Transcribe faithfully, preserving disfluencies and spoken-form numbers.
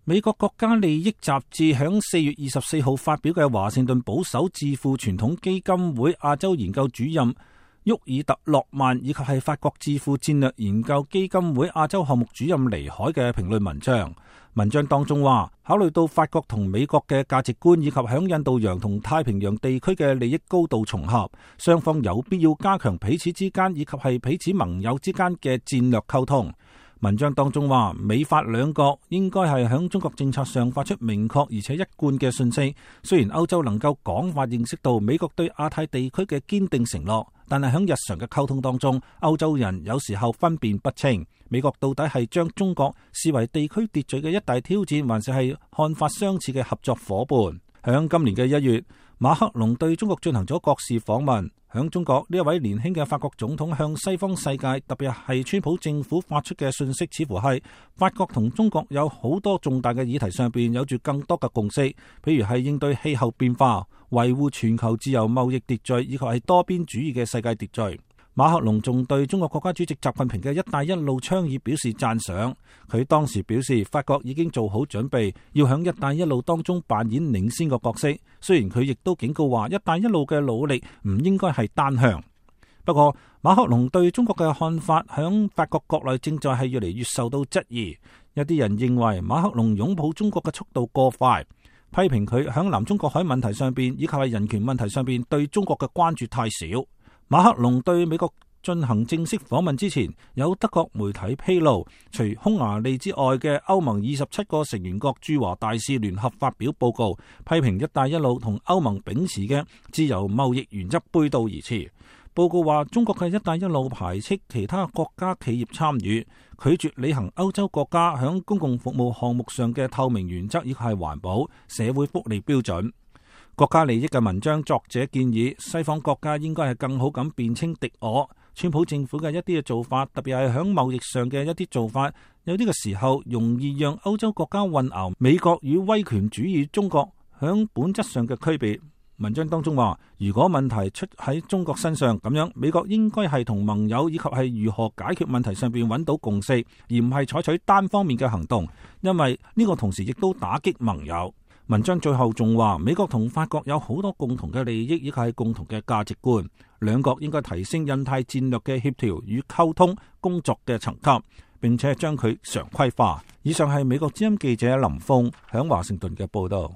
美國國家利益雜誌響四月二十四號發表嘅華盛頓保守智庫傳統基金會亞洲研究主任沃爾特洛曼，以及係法國智庫戰略研究基金會亞洲項目主任尼海嘅評論文章。文章當中話，考慮到法國同美國嘅價值觀以及響印度洋同太平洋地區嘅利益高度重合，雙方有必要加強彼此之間以及係彼此盟友之間嘅戰略溝通。文章當中話，美法兩國應該係響中國政策上發出明確而且一貫嘅訊息。雖然歐洲能夠廣泛認識到美國對亞太地區嘅堅定承諾，但係響日常嘅溝通當中，歐洲人有時候分辨不清，美國到底係將中國視為地區秩序嘅一大挑戰，還是係看法相似嘅合作夥伴。響今年嘅一月，馬克龍對中國進行咗國事訪問。響中國，呢一位年輕嘅法國總統向西方世界，特別係川普政府發出嘅訊息，似乎係法國同中國有好多重大嘅議題上邊有住更多嘅共識，譬如係應對氣候變化、維護全球自由貿易秩序，以及係多邊主義嘅世界秩序。馬克龍仲對中國國家主席習近平嘅一帶一路倡議表示讚賞。佢當時表示，法國已經做好準備，要響一帶一路當中扮演領先嘅角色。雖然佢亦都警告話，一帶一路嘅努力唔應該係單向。不過，馬克龍對中國嘅看法響法國國內正在係越嚟越受到質疑。有啲人認為馬克龍擁抱中國嘅速度過快，批評佢響南中國海問題上邊以及係人權問題上邊對中國嘅關注太少。馬克龍對美國進行正式訪問之前，有德國媒體披露，除匈牙利之外嘅歐盟二十七個成員國駐華大使聯合發表報告，批評一帶一路同歐盟秉持嘅自由貿易原則背道而馳。報告話，中國嘅一帶一路排斥其他國家企業參與，拒絕履行歐洲國家響公共服務項目上嘅透明原則，以及係環保、社會福利標準。國家利益嘅文章作者建議，西方國家應該係更好咁辨清敵我。川普政府嘅一啲嘅做法，特別係響貿易上嘅一啲做法，有啲嘅時候容易讓歐洲國家混淆美國與威權主義中國響本質上嘅區別。文章當中話，如果問題出喺中國身上，咁樣美國應該係同盟友以及係如何解決問題上邊揾到共識，而唔係採取單方面嘅行動，因為呢個同時亦都打擊盟友。文章最後仲話，美國同法國有好多共同嘅利益，以及係共同嘅價值觀，兩國應該提升印太戰略嘅協調與溝通工作嘅層級，並且將佢常規化。以上係美國之音記者林峰響華盛頓嘅報道。